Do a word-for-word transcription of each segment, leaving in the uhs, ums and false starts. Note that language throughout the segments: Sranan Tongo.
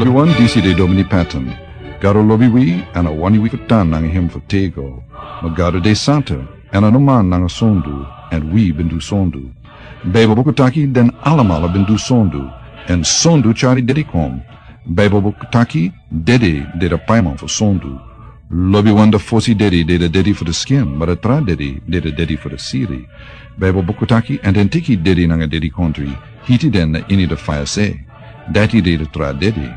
Lobiwan, disi de Domini Patton. Gado lobi wi, èn a wani wi fu tan nanga hem fu tego. Ma Gado de santa, èn a no man nanga sondu, èn wi ben du sondu. Baibel buku taki den alamala ben du sondu, èn sondu tyari dedi kon. Baibel buku taki dedi de de paiman fu sondu. Lobiwan, da fosi dedi de de dedi fu de skin, ma da tra dedi de de dedi fu de siri. Baibel buku taki, èn den teki dedi nanga dedi kontri, hiti den na ini de faya se. Dati de de tra dedi.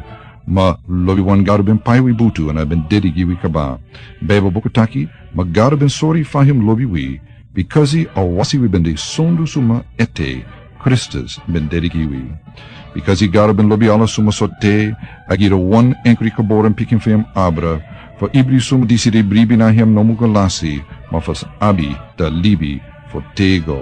Ma lobiwan, Gado ben pai wi butu èn a ben dedi gi wi kaba. Baibel buku taki, ma Gado ben sori fa hem lobi wi, bikasi a wasi wi ben de sondu suma ete, Kristus ben dedi gi wi. Bikasi Gado ben lobi ala suma so te, a gi de wan enkri geboren pikin fu hem abra, fu ibri suma disi de bribi na hem no mu go lasi, ma fu abi da libi fu tego.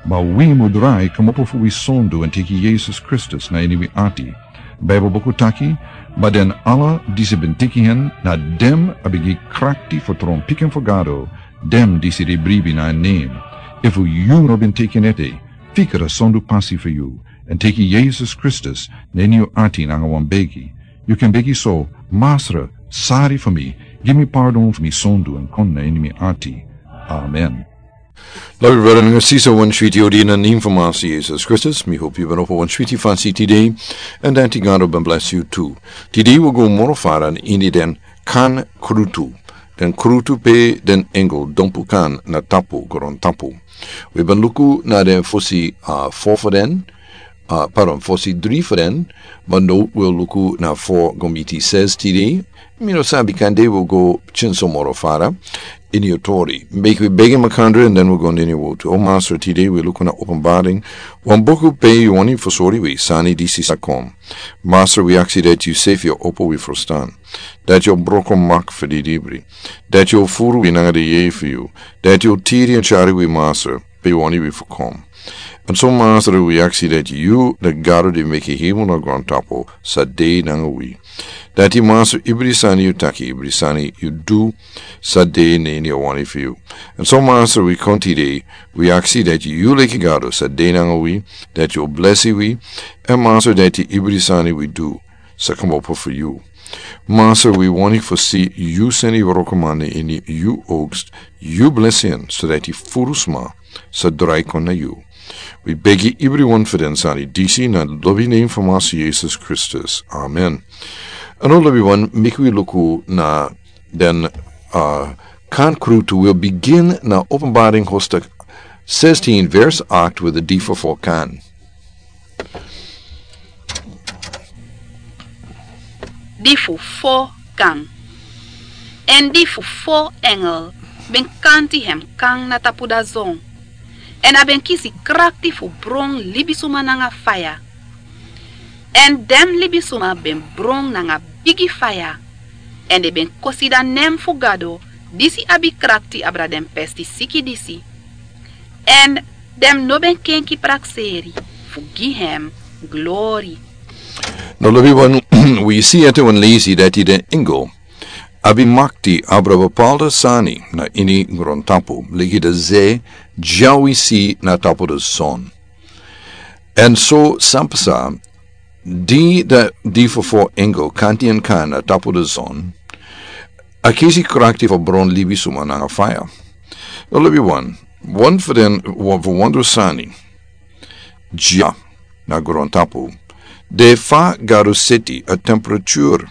Ma wi mu drai komopo fu wi sondu èn teki Yesus Kristus na ini wi ati. Baibel buku taki, ma den ala disi ben teki hen, na dem a ben gi krakti fu tron pikin fu Gado, dem disi de bribi na en nen. Efu yu no ben teki en ete, fika da sondu pasi fu yu, èn teki Yesus Kristus na ini yu ati nanga wan begi. Yu kan begi so: Masra, sari fu mi, gi mi pardon fu mi sondu èn kon na ini mi ati. Amen. Lobi brada nanga sisa, wan switi odi na nen fu Masra Yesus Kristus. Mi hopi yu ben opo wan switi fasi tide, èn dati Gado ben blesi yu tu. Tide wi o go moro fara ini den kan krutu. Den krutu pe den engel dompu kan na tapu grontapu. Wi ben luku na den fosi, a, fo fu den, a, pardon, fosi dri fu den, ma now wi o luku na fo go miti ses tide. Mi no sabi, kande wi o go pikinso moro fara ini yu tori. Meki wi begi makandra èn den wi o go na ini yu wotu. O Masra, tide wi luku na Openbaring, wan buku pe yu wani fu sori wi sani disi sa kon. Masra, wi aksi dati yu sefi o opo wi frustan, dati yu o broko mak fu di dibri, dati yu o furu wi nanga di yeye fu yu, dati yu o tiri èn tyari wi, Masra, pe yu wani wi fu kon. Èn so, Masra, wi aksi dati yu, di Gado di meki hemel nanga grontapu, sa de nanga wi. Dati, Masra, ibri sani yu taki, ibri sani yu du, sa de na ini a wani fu yu. Èn so, Masra, wi kon tide, wi aksi dati yu leki Gado sa de nanga wi, dati yu o blesi wi, èn, Masra, dati ibri sani wi du sa komopo fu yu. Masra, wi wani fu si yu seni wrokoman na ini yu oaks, yu blesi en, so dati furu sma sa drai kon na yu. Wi begi ibriwan fu den sani disi na lobi nen fu Masra Yesus Kristus. Amen. Èn now, lobiwan, meki wi luku na den, a, kan krutu. Wi o bigin na Openbaring hoofdstuk zestien, vers acht, wi o lees fu fo kan. Di fu fo kan. Èn di fu fo engel ben kanti hem kan na tapu dazon. Èn a ben kisi krakti fu bron libisuma nanga faya. Èn den libisuma ben bron nanga bigi faya. Èn den ben kosida nen fu Gado, disi abi krakti abra den pesti siki disi. Èn den no ben kenki prakseri fu gi hem glori. Now, lobiwan, wi si ete wan leisi dati den engel abi makti abra bepaalde sani na ini grontapu, leki de ze, dya wi si na tapu dazon. Èn so san pasa, di de, di fu fo engel kanti en kan na tapu dazon, a kisi krakti fu bron libisuma nanga faya. Now, lobiwan, wan fu den, wan fu wan du sani dya na grontapu, de fa Gado seti a temperature.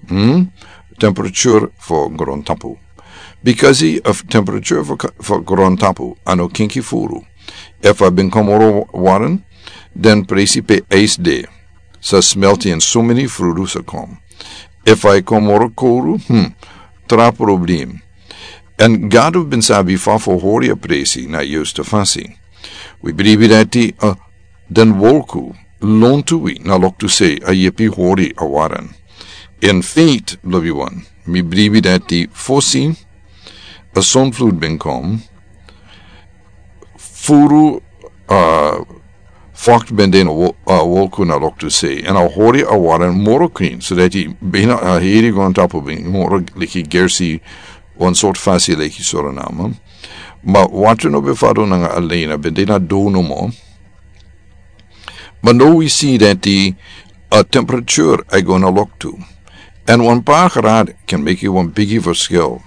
Hmm? Temperature fu grontapu. Bikasi a temperature fu ka-, fu grontapu a no kenki furu. Efu a ben kon moro wari, den presi pe ijs de sa smelti èn someni frudu sa kon. Efu a e kon moro kowru, hmm, tra problem. Èn Gado ben sabi fa fu hori a presi na a yustu fasi. Wi bribi dati, a, den wolku lontu wi na loktu sei a yepi hori a wari. In feite, lobiwan, mi bribi dati fosi a sonflut ben kon, furu, a, fokt ben de na wo-, a, wolku na loktu sei, èn a hori a wari moro krin, so dati bina a heri grontapu ben moro leki gersi, wan sortu fasi leki Suriname. Ma watra no ben fadon nanga alen, a ben de na dow nomo. Ma now wi si dati, a temperature e go na loktu. Èn wan par grad kan meki wan bigi verschil.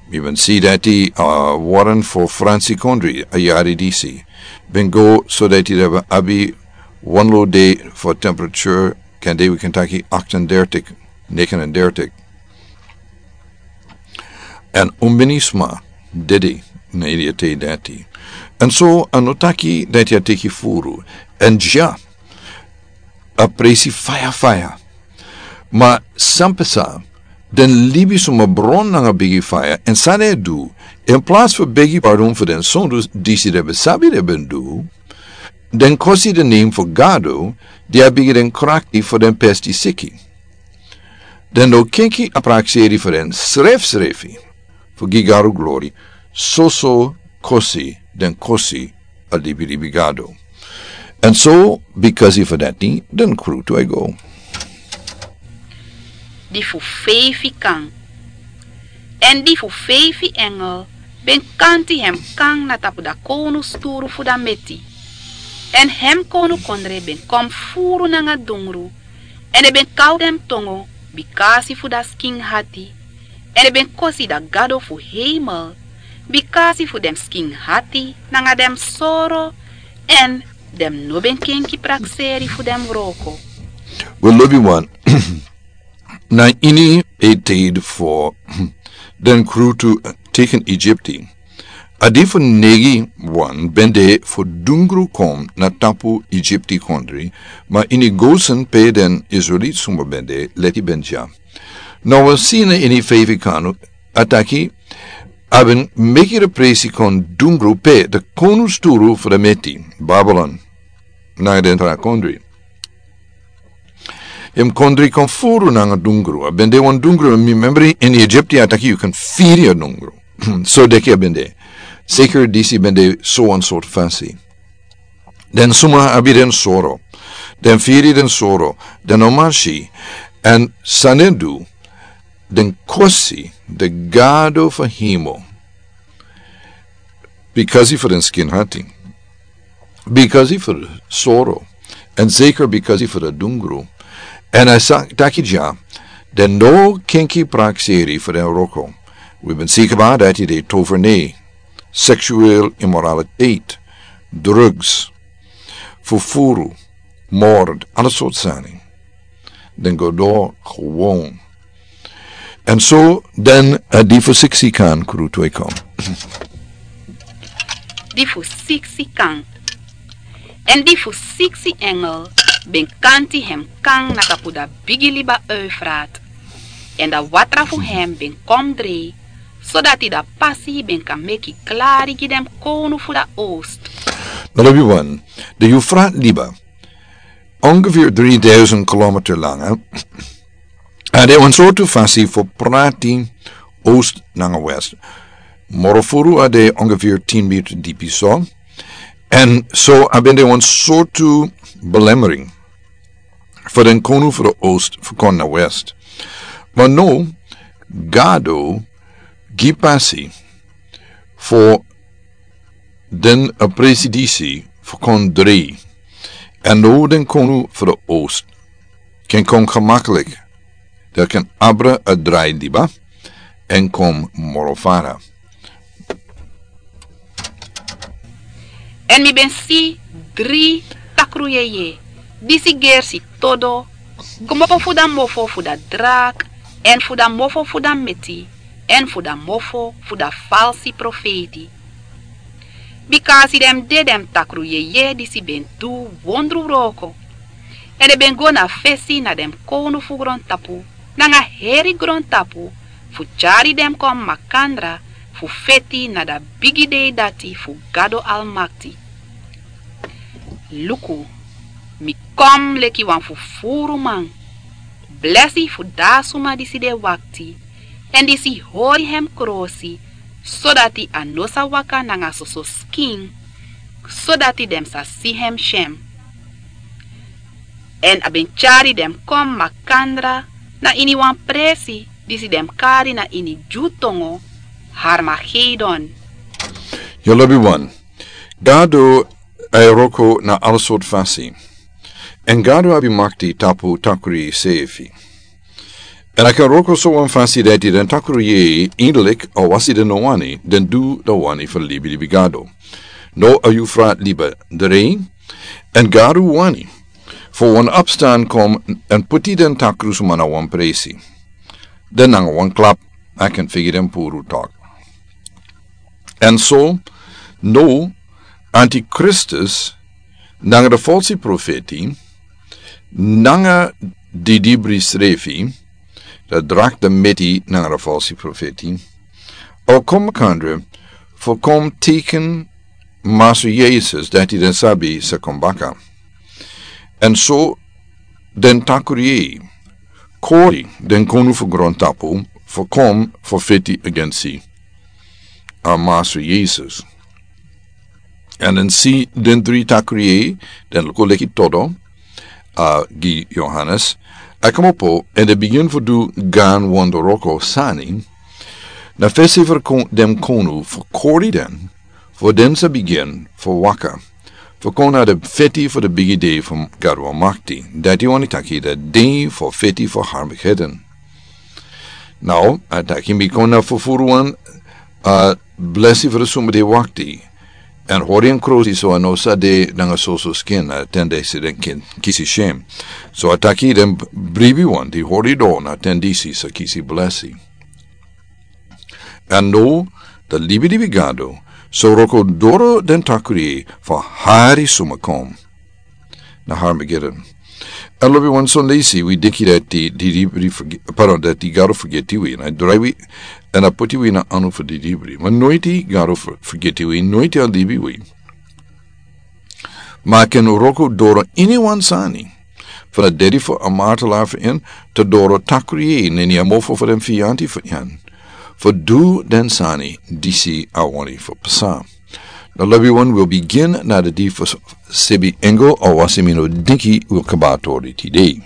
Mi ben si dati a waren fo Fransi kondri a yari disi ben go so dati den ben abi wan lo dei fo temperature kan dei wi kan taki achtendertig, negenendertig. Èn un ben sma dede na ini a tei dati. Èn so a no taki dati a teki furu. Èn dya a presi faya faya. Ma san pasa, den libi suma bron nanga bigi faya èn san den e du, in plas fu begi pardon fu den sondu disi den ben sabi den ben du, den kosi den nen fu Gado di a bigi den krakti fu den pesti siki. Den no kenki a prakseri fu den srefsrefi fu gi Gado glori, soso kosi den kosi a libilibi Gado. Èn so bikasi fu dati den krutu e go. Di fu feifi kan. Èn di fu feifi engel ben kanti hem kan na tapu da kownu sturu fu da meti. Èn hem kownu kondre ben kon furu nanga dungru, èn den ben kau den tongo bikasi fu da skin hati, èn den ben kosi da Gado fu heimel bikasi fu den skin hati nanga den soro, èn den no ben kenki prakseri fu den wroko. We lobi wan. Na ini a tei fo den krutu teken Egypti. A di fu negi wan ben de fu dungru kon na tapu Egypti kondri, ma ini Gosen pe den Israelit suma ben de leti ben dya. Na wan si na ini feifi kanu a taki a ben meki de presi kon dungru pe de konu sturu fu de meti, Babylon, nanga den tra kondri. Hem kondri kon furu nanga dungru. A ben de wan dungru, mi membri ini Egypti a taki yu kan firi a dungru. So deki a ben de. Seker disi ben de so wan sort fasi. Den suma abi den soro. Den firi den soro. Den no man si. Èn san den du, den kosi de Gado fu hemel. Bikasi fu den skin hati. Bikasi fu de soro. Èn seker bikasi fu de dungru. Èn a sa taki dya, den no kenki prakseri fu den wroko. Wi ben si kaba dati de tovernei, seksueel immoraliteit, drugs, fufuru, moord, ala sort sani. Den go dor gewoon. Èn so den, eh, di fu siksi kan krutu e kon. Di fu siksi kan. Èn di fu siksi engel ben kanti hem kan na tapu da bigi liba Eufrat. Èn da watra fu hem ben kon drei, sodati da pasi ben kan meki klari gi den konu fu da oost. Na lobi wan, de Eufrat liba, ongeveer drieduizend kilometer lang, hè? A de wan sortu fasi fu prati oost nanga west. Moro furu a de ongeveer tien meter dipi so. Èn so a ben de wan sortu belemmering fu den konu fu de oost fu kon na west. Ma no, Gado gi pasi fu den a presi disi fu kon drei. Èn no den konu fu de oost ken kon gemakkelijk. Den ken abra a drai liba èn kon moro fara. Èn mi ben si dri takru yeye, disi gersi todo, kmopo fu da mofo fu da drak, èn fu da mofo fu da meti, èn fu da mofo fu da falsi profeiti. Bikasi den de den takru yeye disi ben du wondru wroko. Èn den ben go na fesi na den kownu fu grontapu, nanga heri grontapu, fu tyari den kon makandra, fu feti na da bigi dei dati fu Gado Almakti. Luku, mi kon leki wan fufuruman. Blesi fu da suma disi de wakti, èn disi hori hem krosi, sodati a no sa waka nanga soso skin, sodati den sa si hem syen. Èn a ben tyari den kon makandra na ini wan presi disi den kari na ini Dyu tongo Harmagedon. Yu lobi wan. Gado e wroko na ala sort fasi. Èn Gado abi makti tapu takru yeye sefi. Èn a kan wroko so wan fasi dati den takru yeye, indelik, a wasi den no wani, den du den wani fu libilibi Gado. No a yufra liba drei, èn Gado wani fu wan opstan kon èn puti den takru suma na wan presi. Den nanga wan klap, a kan figi den puru tok. Èn so, no, Antikristus, nanga den falsi profeti, nanga didibri srefi, den drakta meti nanga den falsi profeti, o kon makandra, fu kon teken Masra Yesus, dati den sabi sa kon baka. Èn so, den takru yeye, kori, den konu fu grontapu, fu kon, fu feti agensi a Masra Yesus. Èn den si den dri takru yeye, den luku leki todo, a, gi Yohanes, a komopo, èn den bigin fu du gan wonderwroko sani, na fesi fu kon-, den konu fu kori den, fu den sa bigin fu waka, fu kon na den feti fu den bigi dei fu Gado Almakti, dati wani taki den dei fu feti fu Harmagedon. Now, a taki mi kon na fufuru wan, a, blesi fu den suma di wakti. Èn hori en krosi so a no sa de nanga soso skin, a ten disi den kin kisi shem. So a taki den bribi wan di hori do na ten disi sa kisi blesi. Èn no, den libilibi Gado, so wroko doro den takru yeye fu hari suma kon na Harmagedon. Èn lobi wan son leisi, wi denki dati di, di, di, di forgi-, pardon, dati Gado forgeti wi, èn a drai wi, èn a poti wi na anu fu didibri. Ma noiti Gado for-, forgeti wi, noiti a libi wi. Ma a ken wroko doro ini wan sani. Fu na dedi fu a martelaar fu en, te doro takru yeye, neni a mofo fu den fianti fu en. Fu du den sani, disi a wani fu pasa. Now, lobi wan, wi o bigin na den di fu s-, sebi engel, a wasi mi no denki wi o kaba tori tide.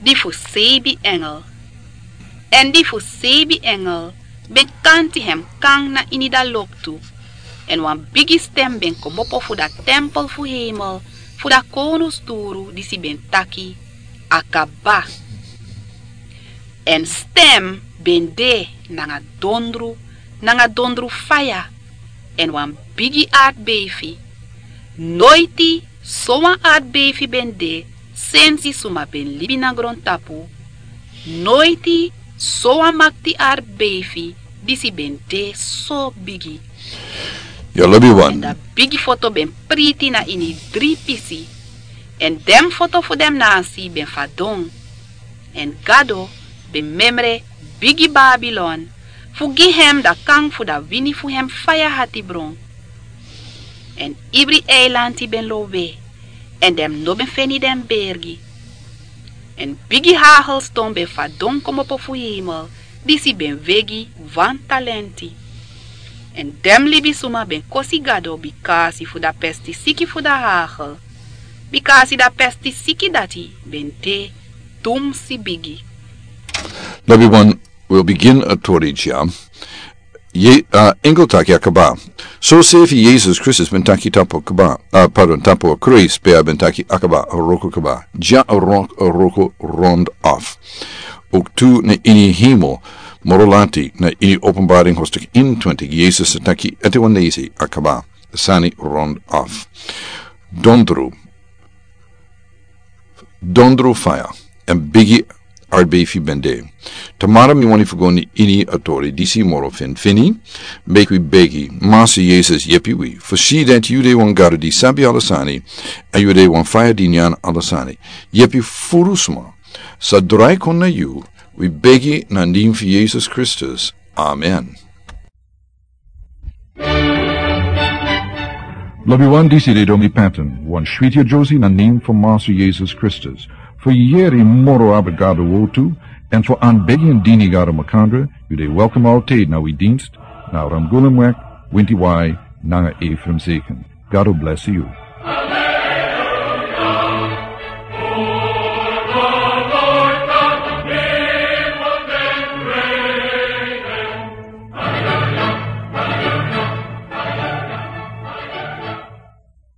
Di fu sebi engel. Èn di fu sebi engel ben kanti hem kan na ini da loktu. Èn wan bigi stem ben komopo fu da tempel fu hemel, fu da konu sturu disi ben taki: A kaba. Èn stem ben de nanga dondru, nanga dondru faya, èn wan bigi artbeifi. Noiti so wan artbeifi ben de sensi suma ben libi na grontapu. Noiti so wan makti artbeifi disi ben de so bigi. Yu lobi wan. Èn da bigi foto ben priti na ini dri pisi. Èn den foto fu den nasi ben fadon. Èn Gado ben memre bigi Babilon, fu gi hem da kan fu da wini fu hem faya hatibron. Èn ibri eilanti ben lowe, èn den no ben feni den bergi. Èn bigi hagelston ben fadon komopo fu hemel, disi ben wegi wan talenti. Èn den libisuma ben kosi Gado bikasi fu da pestisiki fu da hagel, bikasi da pestisiki dati ben de tumsi bigi. Lobi wan, wi o bigin a tori dya. Ye, a, engel taki a kaba. So sefi Yesus Kristus ben taki tapu kaba, a, pardon, tapu a kruis, pe a ben taki a kaba, a wroko kaba. Dya a wrok-, a wroko rond af. Ook tu na ini hemel, moro lati, na ini Openbaring hoofdstuk eenentwintig, Yesus taki, ete wan leisi, a kaba, sani rond af. Dondru, dondru faya, èn bigi artbeifi ben de. Tamara mi wani fu go ini a tori disi moro finfini, meki wi begi, Masra Yesus yepi wi, fu si dati yu de wan Gado di sabi ala sani, èn yu de wan faya di nyan ala sani. Yepi furu sma sa drai kon na yu, wi begi na nen fu Yesus Kristus. Amen. Lobi wan, disi de Domi Patton, wan switi a Josie na nen fu Masra Yesus Kristus. Fu yeri moro abra Gado wortu, èn fu anbegi èn dini Gado makandra, yu de welkom altijd na wi dienst, na Ramgulumweg, winti wai, nanga Ephraim Zeken. Gado blesi yu.